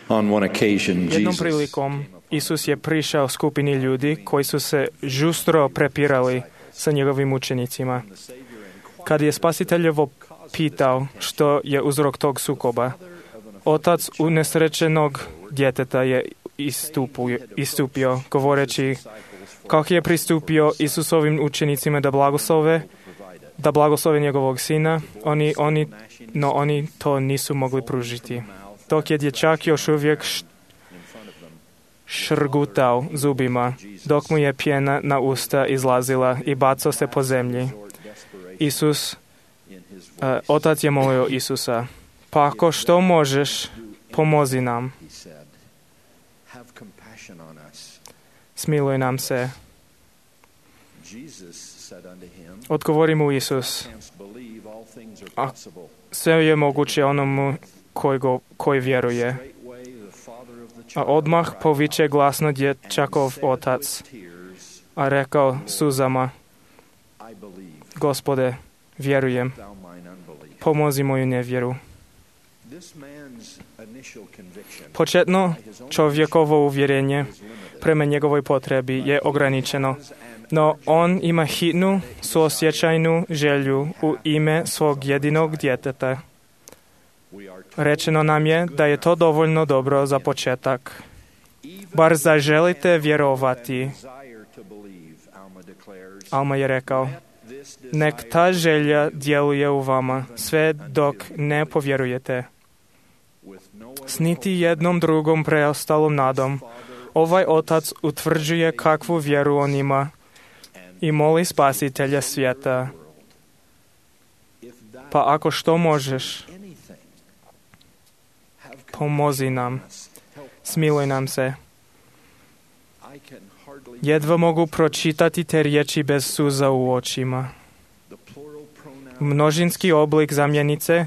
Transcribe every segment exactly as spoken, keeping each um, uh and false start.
On one occasion, Jednom Jesus prilikom Isus je prišao skupini ljudi koji su se žustro prepirali sa njegovim učenicima. Kad je Spasiteljevo pitao što je uzrok tog sukoba, otac unesrećenog djeteta je istupio, istupio govoreći kako je pristupio Isusovim učenicima da blagoslove, da blagoslove njegovog sina, oni, oni, no oni to nisu mogli pružiti. Dok je dječak još uvijek šrgutao zubima, dok mu je pjena na usta izlazila i bacao se po zemlji. Isus, uh, otac je molio Isusa, pa ako što možeš, pomozi nam. Smiluj nam se. Odgovori mu Isus, a sve je moguće onomu koji, go, koji vjeruje. A odmah poviče glasno dječakov otac, a rekao suzama, Gospode, vjerujem, pomozi moju nevjeru. Početno čovjekovo uvjerenje prema njegovoj potrebi je ograničeno, no on ima hitnu, suosjećajnu želju u ime svog jedinog djeteta. Rečeno nam je da je to dovoljno dobro za početak. Bar zaželite vjerovati. Alma je rekao, nek ta želja djeluje u vama sve dok ne povjerujete. S niti jednom drugom preostalom nadom, ovaj otac utvrđuje kakvu vjeru on ima i moli Spasitelja svijeta. Pa ako što možeš, pomozi nam, smiluj nam se. Jedva mogu pročitati te riječi bez suza u očima. Množinski oblik zamjenice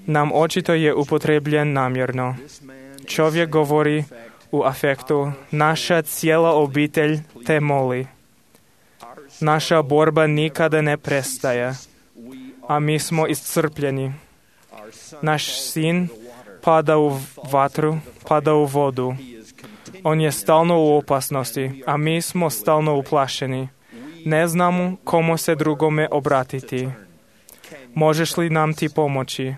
nam očito je upotrebljen namjerno. Čovjek govori u afektu, naša cijela obitelj te moli. Naša borba nikada ne prestaje, a mi smo iscrpljeni. Naš sin pada u vatru, pada u vodu. On je stalno u opasnosti, a mi smo stalno uplašeni. Ne znamo komu se drugome obratiti. Možeš li nam ti pomoći?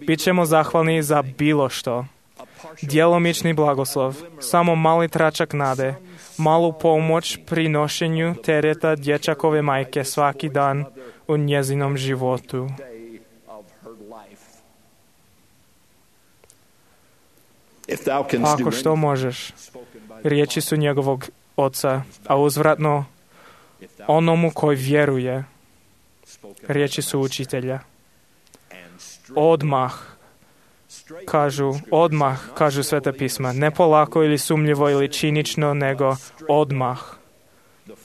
Bićemo zahvalni za bilo što. Djelomični blagoslov, samo mali tračak nade, malu pomoć pri nošenju tereta dječakove majke svaki dan u njezinom životu. Ako što možeš, riječi su njegovog oca, a uzvratno onomu koji vjeruje, riječi su učitelja. Odmah, kažu, odmah, kažu Sveta pisma, ne polako ili sumnjivo ili činično, nego odmah.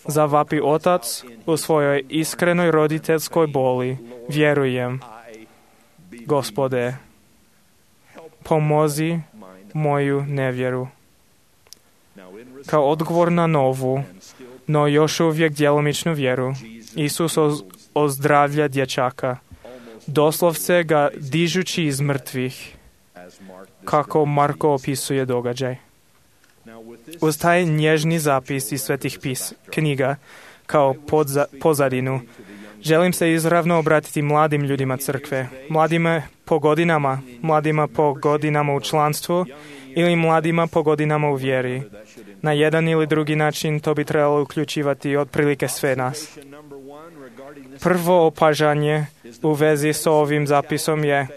Zavapi otac u svojoj iskrenoj roditeljskoj boli, vjerujem, Gospode, pomozi moju nevjeru. Kao odgovor na novu, no još uvijek djelomičnu vjeru, Isus ozdravlja dječaka, doslovce ga dižući iz mrtvih, kako Marko opisuje događaj. Uz taj nježni zapis iz svetih pis, knjiga, kao podza, pozadinu, želim se izravno obratiti mladim ljudima crkve, mladima po godinama, mladima po godinama u članstvu ili mladima po godinama u vjeri. Na jedan ili drugi način to bi trebalo uključivati otprilike sve nas. Prvo opažanje u vezi s ovim zapisom je,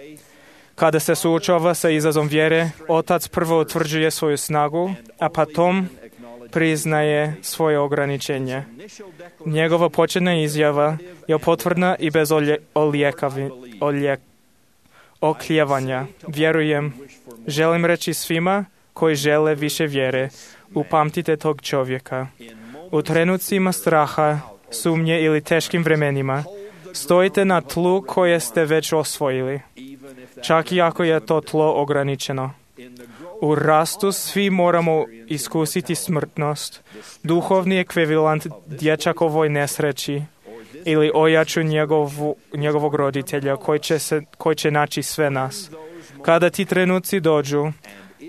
kada se suočava sa izazom vjere, otac prvo utvrđuje svoju snagu, a potom priznaje svoje ograničenje. Njegova početna izjava je potvrdna i bez olje, olijekavi, olijek, oklijevanja. Vjerujem, želim reći svima koji žele više vjere, upamtite tog čovjeka. U trenucima straha, sumnje ili teškim vremenima, stojite na tlu koje ste već osvojili, čak i ako je to tlo ograničeno. U rastu svi moramo iskusiti smrtnost, duhovni ekvivalent dječakovoj nesreći ili ojaču njegovu, njegovog roditelja koji će, se, koji će naći sve nas. Kada ti trenuci dođu,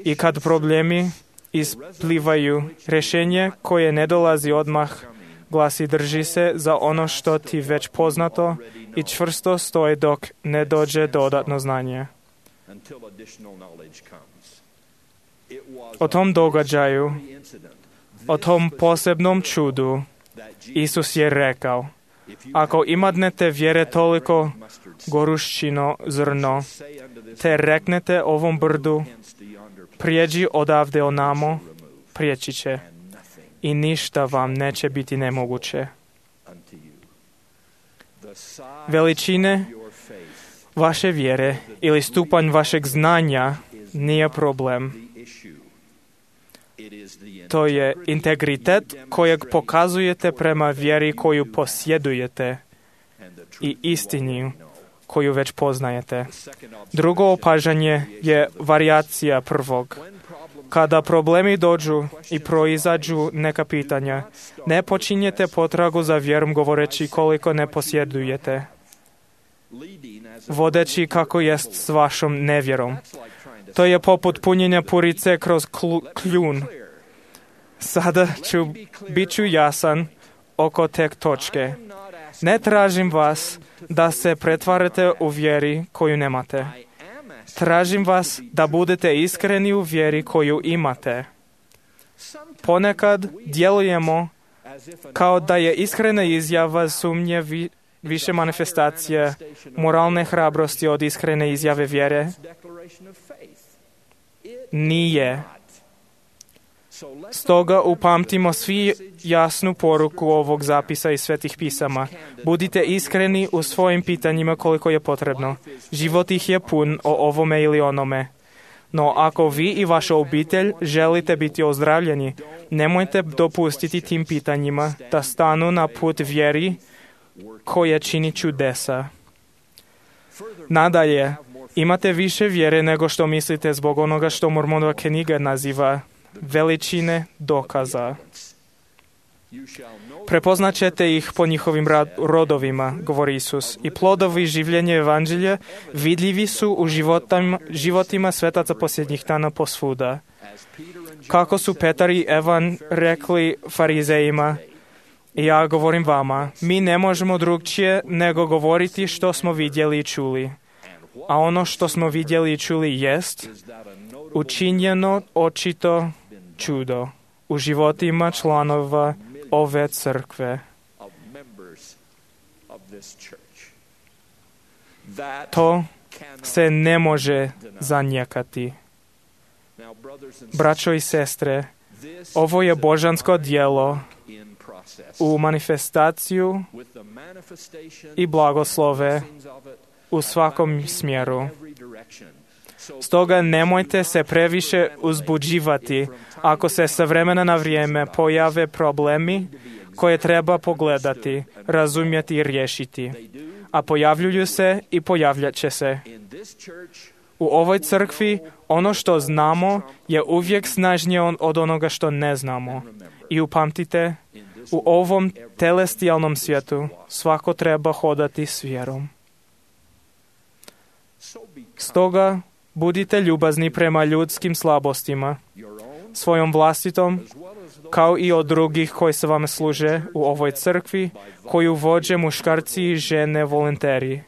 I kad problemi isplivaju, rješenje koje ne dolazi odmah glasi drži se za ono što ti već poznato i čvrsto stoji dok ne dođe dodatno znanje. O tom događaju, o tom posebnom čudu, Isus je rekao, ako imadnete vjere toliko goruščino zrno, te reknete ovom brdu, prijeđi odavde onamo, prijeći će i ništa vam neće biti nemoguće. Veličine vaše vjere ili stupanj vašeg znanja nije problem. To je integritet kojeg pokazujete prema vjeri koju posjedujete i istini koju već poznajete. Drugo opažanje je varijacija prvog. Kada problemi dođu i proizađu neka pitanja, ne počinjete potragu za vjerom govoreći koliko ne posjedujete, vodeći kako jest s vašom nevjerom. To je poput punjenja purice kroz kljun. Sada ću, bit ću jasan oko te točke. Ne tražim vas da se pretvarate u vjeri koju nemate. Tražim vas da budete iskreni u vjeri koju imate. Ponekad djelujemo kao da je iskrena izjava sumnje vi, više manifestacije moralne hrabrosti od iskrene izjave vjere. Nije. Stoga upamtimo svi jasnu poruku ovog zapisa iz Svetih pisama. Budite iskreni u svojim pitanjima koliko je potrebno. Život ih je pun o ovome ili onome. No ako vi i vaša obitelj želite biti ozdravljeni, nemojte dopustiti tim pitanjima da stanu na put vjeri koje čini čudesa. Nadalje, imate više vjere nego što mislite zbog onoga što Mormonova knjiga naziva veličine dokaza. Prepoznat ćete ih po njihovim rodovima, govori Isus, i plodovi življenja evanđelja vidljivi su u životima, životima svetaca posljednjih dana posvuda. Kako su Petar i Evan rekli farizejima, i ja govorim vama, mi ne možemo drugčije nego govoriti što smo vidjeli i čuli. A ono što smo vidjeli i čuli jest učinjeno očito čudo u životima članova ove crkve. To se ne može zanijekati. Braćo i sestre, ovo je božansko djelo u manifestaciju i blagoslove u svakom smjeru. Stoga nemojte se previše uzbuđivati ako se sa vremena na vrijeme pojave problemi koje treba pogledati, razumjeti i riješiti. A pojavljuju se i pojavljat će se. U ovoj crkvi ono što znamo je uvijek snažnije od onoga što ne znamo. I upamtite, u ovom telestijalnom svijetu svako treba hodati s vjerom. Stoga budite ljubazni prema ljudskim slabostima, svojom vlastitom, kao i od drugih koji se vam služe u ovoj crkvi, koju vođe muškarci i žene volonteri.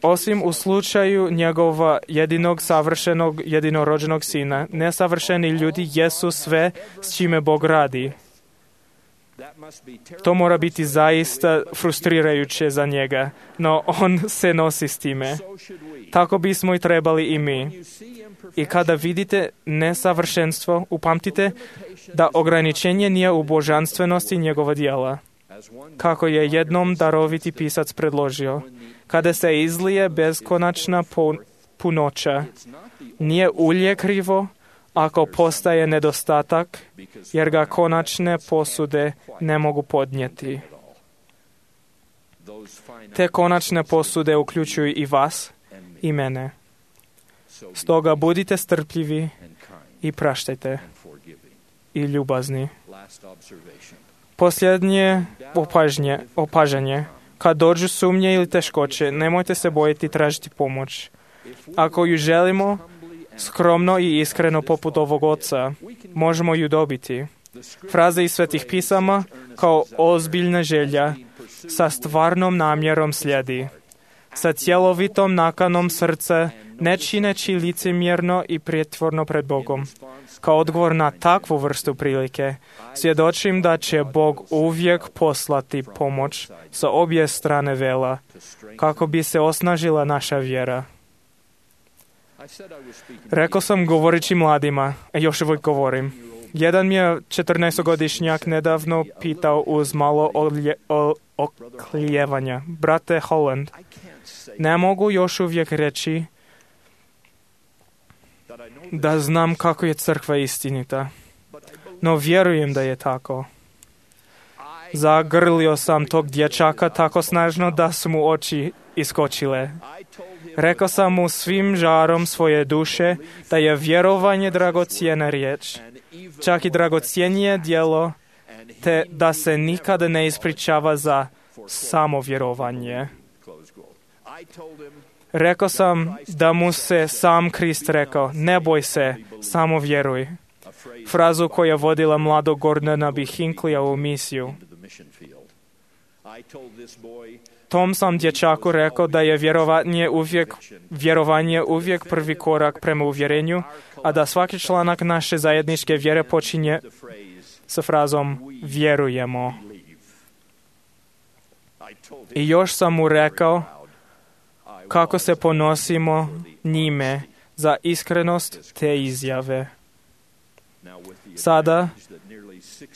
Osim u slučaju njegova jedinog savršenog jedinorođenog sina, nesavršeni ljudi jesu sve s čime Bog radi. To mora biti zaista frustrirajuće za njega, no on se nosi s time. Tako bismo i trebali i mi. I kada vidite nesavršenstvo, upamtite da ograničenje nije u božanstvenosti njegova djela. Kako je jednom daroviti pisac predložio, kada se izlije beskonačna punoća, nije ulje krivo ako postaje nedostatak, jer ga konačne posude ne mogu podnijeti. Te konačne posude uključuju i vas i mene. Stoga budite strpljivi i praštajte i ljubazni. Posljednje opažnje, opažanje. Kad dođu sumnje ili teškoće, nemojte se bojiti tražiti pomoć. Ako ju želimo, skromno i iskreno poput ovog oca, možemo ju dobiti. Fraze iz Svetih pisama kao ozbiljna želja sa stvarnom namjerom slijedi. Sa cjelovitom nakanom srca, ne čineći licemjerno i prijetvorno pred Bogom. Kao odgovor na takvu vrstu prilike, svjedočim da će Bog uvijek poslati pomoć sa obje strane vela, kako bi se osnažila naša vjera. Rekao sam govorići mladima, a još uvijek govorim. Jedan mi je četrnaestogodišnjak nedavno pitao uz malo olje, o, oklijevanja. Brate Holland, ne mogu još uvijek reći da znam kako je crkva istinita, no vjerujem da je tako. Zagrlio sam tog dječaka tako snažno da su mu oči iskočile. Rekao sam mu svim žarom svoje duše da je vjerovanje dragocjena riječ, čak i dragocjenije djelo, te da se nikada ne ispričava za samo vjerovanje. Rekao sam da mu se sam Krist rekao, ne boj se, samo vjeruj. Frazu koja je vodila mladog Gordona B. Hinckleyja u misiju. Tom sam dječaku rekao da je vjerovanje uvijek, vjerovanje uvijek prvi korak prema uvjerenju, a da svaki članak naše zajedničke vjere počinje sa frazom vjerujemo. I još sam mu rekao kako se ponosimo njime za iskrenost te izjave. Sada,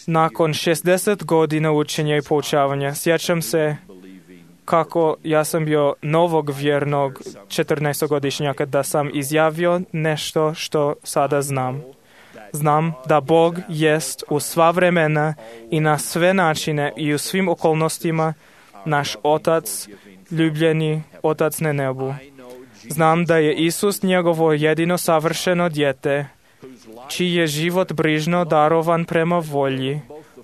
nakon šezdeset godina učenja i poučavanja, sjećam se kako ja sam bio novog vjernog četrnaestogodišnjaka da sam izjavio nešto što sada znam. Znam da Bog jest u sva vremena i na sve načine i u svim okolnostima naš Otac, ljubljeni Otac na nebu. Znam da je Isus njegovo jedino savršeno dijete, čiji je život brižno darovan prema volji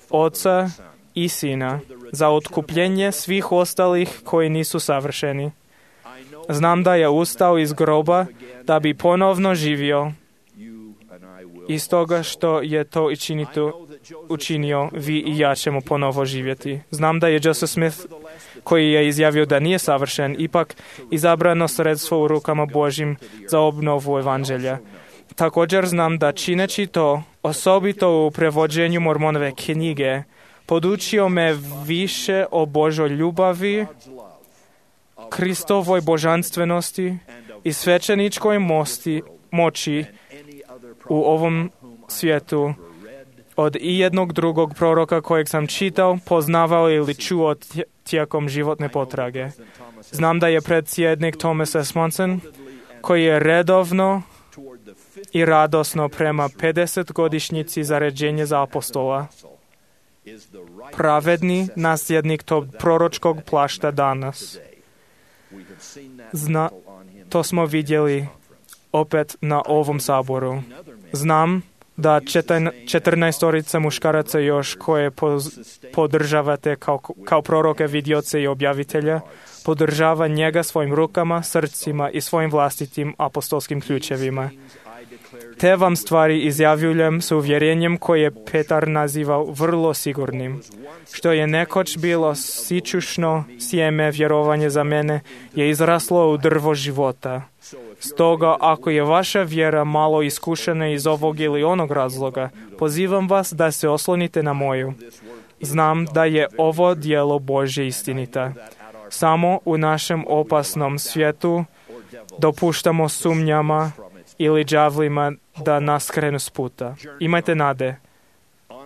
Oca i Sina za otkupljenje svih ostalih koji nisu savršeni. Znam da je ustao iz groba da bi ponovno živio. Iz toga što je to učinito, učinio, vi i ja ćemo ponovo živjeti. Znam da je Joseph Smith, koji je izjavio da nije savršen, ipak izabrano sredstvo u rukama Božjim za obnovu evanđelja. Također znam da čineći to, osobito u prevođenju Mormonove knjige, podučio me više o Božoj ljubavi, Kristovoj božanstvenosti i svećeničkoj mosti, moći u ovom svijetu od i jednog drugog proroka kojeg sam čitao, poznavao ili čuo tijekom životne potrage. Znam da je predsjednik Thomas S. Monson, koji je redovno i radosno prema pedesetogodišnjici zaređenja za apostola, pravedni nasljednik tog proročkog plašta danas. Zna, to smo vidjeli opet na ovom saboru. Znam da četrnaestorica muškaraca još koje podržavate kao, kao proroke, vidioce i objavitelja, podržava njega svojim rukama, srcima i svojim vlastitim apostolskim ključevima. Te vam stvari izjavljujem s uvjerenjem koje je Petar nazivao vrlo sigurnim. Što je nekoć bilo sičušno sjeme vjerovanje za mene je izraslo u drvo života. Stoga, ako je vaša vjera malo iskušena iz ovog ili onog razloga, pozivam vas da se oslonite na moju. Znam da je ovo djelo Božje istinita. Samo u našem opasnom svijetu dopuštamo sumnjama ili đavlima da nas krenu s puta. Imajte nade.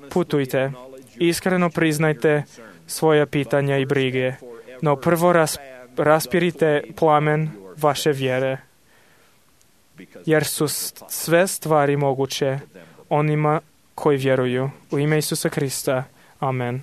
Putujte. Iskreno priznajte svoja pitanja i brige. No prvo ras, raspirite plamen vaše vjere. Jer su sve stvari moguće onima koji vjeruju. U ime Isusa Krista. Amen.